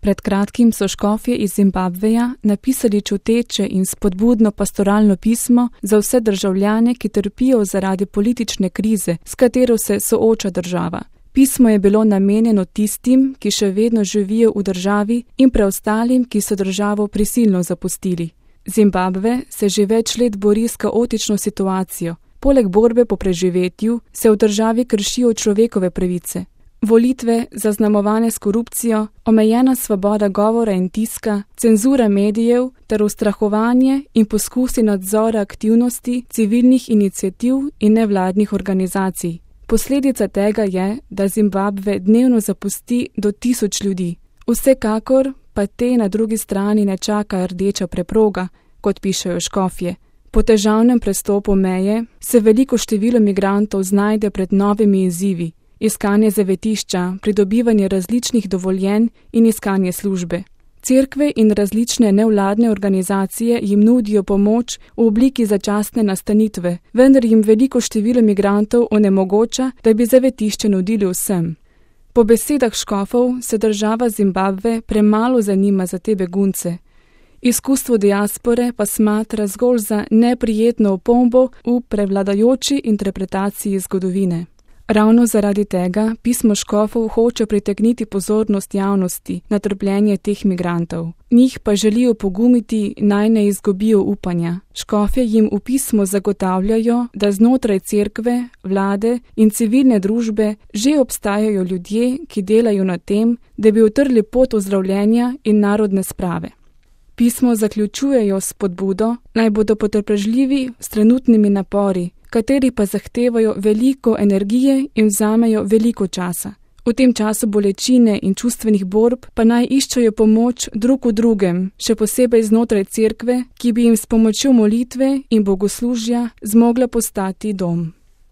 Pred kratkim so škofje iz Zimbabveja napisali čuteče in spodbudno pastoralno pismo za vse državljane, ki trpijo zaradi politične krize, s katero se sooča država. Pismo je bilo namenjeno tistim, ki še vedno živijo v državi, in preostalim, ki so državo prisilno zapustili. Zimbabve se že več let bori s kaotično situacijo. Poleg borbe po preživetju se v državi kršijo človekove pravice. Volitve, zaznamovane s korupcijo, omejena svoboda govora in tiska, cenzura medijev ter ustrahovanje in poskusi nadzora aktivnosti civilnih iniciativ in nevladnih organizacij. Posledica tega je, da Zimbabve dnevno zapusti do 1000 ljudi. Vsekakor pa te na drugi strani ne čaka rdeča preproga, kot pišejo škofje. Po težavnem prestopu meje se veliko število migrantov znajde pred novimi izzivi. Iskanje zavetišča, pridobivanje različnih dovoljenj in iskanje službe. Cerkve in različne nevladne organizacije jim nudijo pomoč v obliki začasne nastanitve, vendar jim veliko število migrantov onemogoča, da bi zavetišče nudili vsem. Po besedah škofov se država Zimbabve premalo zanima za te begunce. Izkustvo diaspore pa smatra zgolj za neprijetno opombo v prevladajoči interpretaciji zgodovine. Ravno zaradi tega pismo škofov hoče pritegniti pozornost javnosti na trpljenje teh migrantov. Njih pa želijo pogumiti, naj ne izgubijo upanja. Škofje jim v pismu zagotavljajo, da znotraj cerkve, vlade in civilne družbe že obstajajo ljudje, ki delajo na tem, da bi utrli pot ozdravljenja in narodne sprave. Pismo zaključujejo s spodbudo, naj bodo potrpežljivi s trenutnimi napori, kateri pa zahtevajo veliko energije in vzamejo veliko časa. V tem času bolečine in čustvenih borb pa naj iščejo pomoč drug v drugem, še posebej znotraj cerkve, ki bi jim s pomočjo molitve in bogoslužja zmogla postati dom.